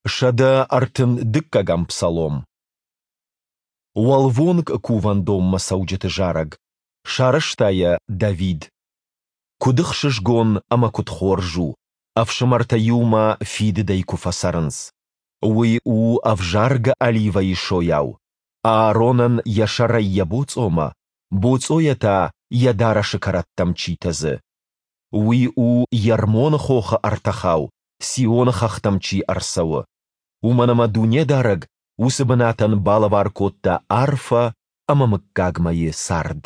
132-ӕм псалом. Уӕлвонг кувӕндонмӕ цӕуджыты зарӕг. Сарӕзта йӕ Давид. Куыд ӕхсызгон ӕмӕ куыд хорз у, ӕфсымӕртӕ иумӕ фидыдӕй куы фӕцӕрынц! Уый у ӕвзаргӕ оливӕйы сойау, Ааронӕн йӕ сӕрӕй йӕ боцъомӕ, боцъойӕ та йӕ дарӕсы кӕрӕттӕм чи тӕдзы. Уый у Ермоны хохы ӕртӕхау, Сионы хӕхтӕм чи ӕрцӕуы. Уымӕн ӕмӕ Дунедарӕг уыцы бынатӕн балӕвар кодта арфӕ ӕмӕ мыггагмӕйы цард.